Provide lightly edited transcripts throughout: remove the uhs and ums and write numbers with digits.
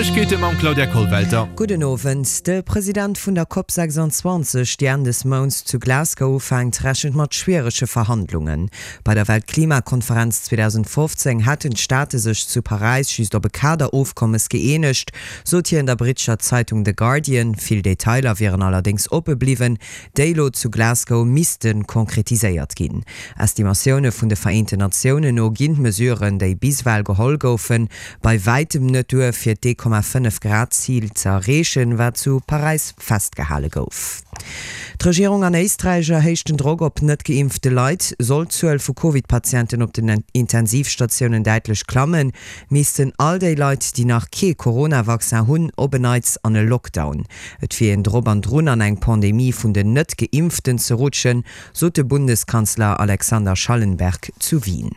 D'Neiegkeete mam Claudia Kollwelter. Gudden Owend. De President vun der Cop 26, déi Enn des Mounts zu Glasgow ufänkt, rechent mat schwierege Verhandlungen. Bei der Weltklimakonferenz 2015 hätten d'Staate sech zu Paräis just op e Kaderofkommes gëeenegt, sot hien der brittescher Zeitung The Guardian. Vill Detailer wieren allerdéngs oppe bliwwen, déi elo zu Glasgow misste konkretiséiert ginn. Estimatioune vun de Vereenten Natiounen no ginn d'Mesuren, déi bis ewell geholl goufen, bei wäitem net duer, fir d'1,5 Grad Zil ze erreechen, wat zu Paräis festgehale gouf. D'Regierung an Éisträich erhéicht den Drock op net geimpfte Leit. Sollt d'Zuel vu Covid-Patienten op den Intensivstatiounen däitlech klammen, missten all déi Leit, déi nach kee Corona-Vaccin hunn, op en Neits an e Lockdown. Et wier een drop an drun an eng Pandemie vun den Net-Geimpften ze rutschen, sot de Bundeskanzler Alexander Schallenberg zu Wien.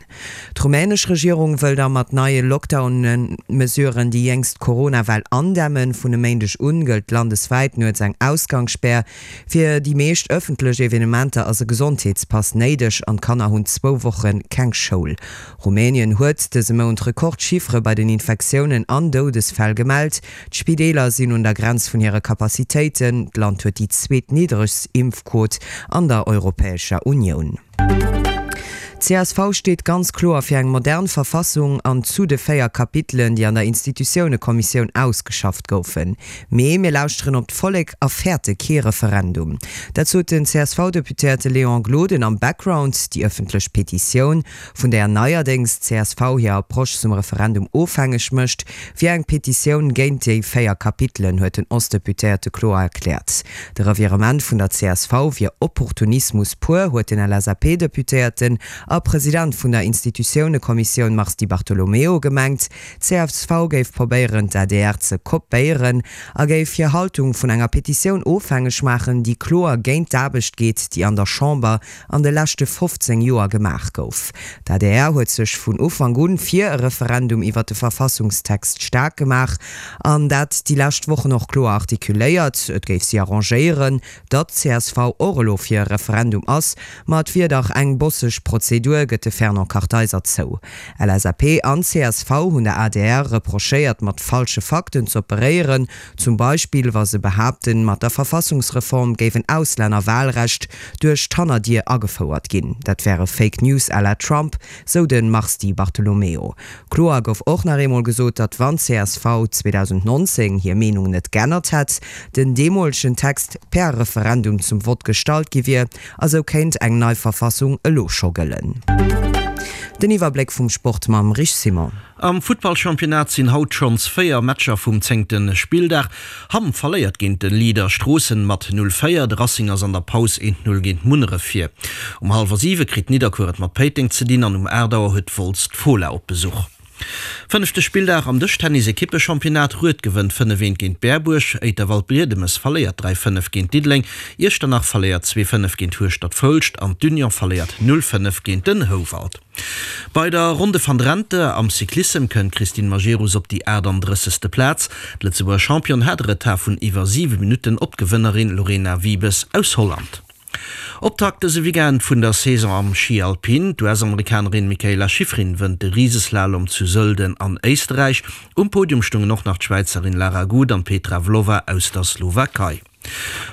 D'rumänesch Regierung wëll da mat neie Lockdown-Mesuren déi jéngst Corona-Well andämmen. Vun e Méindeg un gëllt landeswäit nuets eng Ausgangsspär. Fir déi meescht ëffentlech Evenementer ass e Gesondheetspass néideg an d'Kanner hunn zwou Woche keng Schoul. Rumänien huet dëse Mount Rekordchiffere bei den Infektiounen an Doudesfäll gemellt. D'Spideeler sinn un der Grenz vun hire Capacitéiten. D'Land huet déi zweetniddregst Impfquot an der Europäescher Unioun. D'CSV steet ganz kloer fir eng modern Verfassung an zu de 4 Kapitelen, déi an der Institutiounekommissioun ausgeschafft goufen. Mee mir lauschteren op d'Vollek a fäerte kee Referendum. Dat sot den CSV-Deputéierte Léon Gloden am Background. Déi ëffentlech Petitioun vun där neierdéngs d'CSV hir Approche zum Referendum ofhängeg mécht, wier eng Petitioun géint déi 4 Kapitelen, huet den Ostdeputéierte kloer erkläert. De Revirement vun der csv wier Opportunismus pur, huet den LSAP-Deputéierten a President vun der Institutiounekommissioun Mars Di Bartolomeo gemengt. D'CSV géif probéieren, d'ADR ze kopéieren a géif hir Haltung vun enger Petitioun ofhängeg maachen, déi kloer géint d'Aarbecht geet, déi an der Chamber an de leschte 15 Joer gemaach gouf. D'adr huet sech vun Ufank un fir e Referendum iwwer de Verfassungstext staark gemaach an dat déi lescht Wochen och kloer artikuléiert. Et géif si arrangéieren, datt csv och elo fir e Referendum ass, ma et wier dach eng bosseg Prozedur, gëtt de Fernand Kartheiser zou. LSAP an csv hunn der adr reprochéiert, mat falsche Fakten z'operéieren, Zum Beispill wa se behaapten, mat der Verfassungsreform géif en Auslännerwahlrecht duerch d'Hannerdier agefouert ginn. Dat wäre Fake News à la Trump, sou de Mars Di Bartolomeo. Kloer gouf och nach eemol gesot, datt wann csv 2019 hir Meenung net g'ännert hätt, den deemolegen Text per Referendum zum Vott gestallt gi wier a sou kéint eng nei Verfassung elo scho gëllen. Den Iwwerbléck vum Sport mam Rich Simon. Am Futtballchampionnat sinn haut schonns 4 Matcher vum zéngte Spilldag. Hamm verléiert géint de Leader Stroossen mat 0, 4, de Racing ass an der Paus 1, 0 géint Munneref vir. Um hallwer 7 kritt Nidderkuer et mat Péiteng ze dinn an um 8 Auer huet Wolz d'Fola op Besuch. Fënnefte Spilldag am Dëschtennis-Ekippechampionnat, Rued gewënnt 5, 1 géint Berbuerg, Éiter-Waldbriedemes verléiert 3, 5 géint Diddeleng, Iechternach verléiert 2, 5 géint Hueschtert-Foulscht an d'Union verléiert 0, 5 géint den Houwald. Bei der Ronde van Drenthe am Cyclissem kënnt d'Christine Majerus op déi 38. Plaz. D'Lëtzebuerger Championne hat e Retard vun iwwer 7 Minutten op d'Gewënnerin Lorena Wiebes aus Holland. Optakt dëse Weekend vun der Saison am Schi Alpin. D'US-Amerikanerin Mikaela Shiffrin wënnt de Riseslalom zu Sölden an Éisterräich. Um Podium stungen och nach d'Schwäizerin Lara Gut an d'Petra Vlhova aus der Slowakei.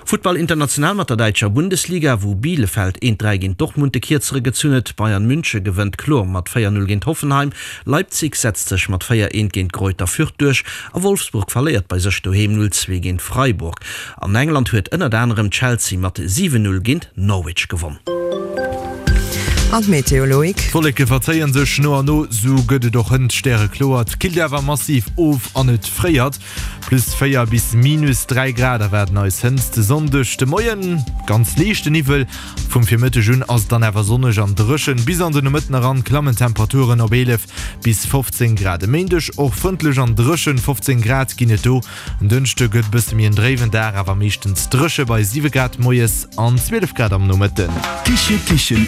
Futtball international mat der däitscher Bundesliga, wou Bielefeld 1, 3 géint Dortmund de Kierzere gezunn huet. Bayern Münche gewënnt kloer mat 4, 0 géint Hoffenheim, Leipzig setzt sech mat 4, 1 géint Greuther Fürth duerch a Wolfsburg verléiert bei sech doheem 0, 2 géint Freiburg. An England huet ënnert anerem Chelsea mat 7, 0 géint Norwich gewonn. An d'Meteo, Loïc? D'Wolleke verzéien sech no an no, sou gëtt et och hënt stärekloer. Et killt awer massiv of an et fréiert. Plus 4 bis minus 3 Grad erwaarden eis hënt de Sonndeg de Moien. Ganz liichte Niwwel. Vum Virmëtteg un ass et dann awer sonneg an dréchen. Bis an de Nomëtten eran klammen d'Temperaturen op 11 bis 15 Grad. E Méindeg och frëndlech an dréchen, 15 Grad ginn et do. En Dënschde gëtt e bësse méi en dréiwen Dag, awer meeschtens dréche bei 7 Grad moies an 12 Grad am Nomëtten. Kiche Kichen.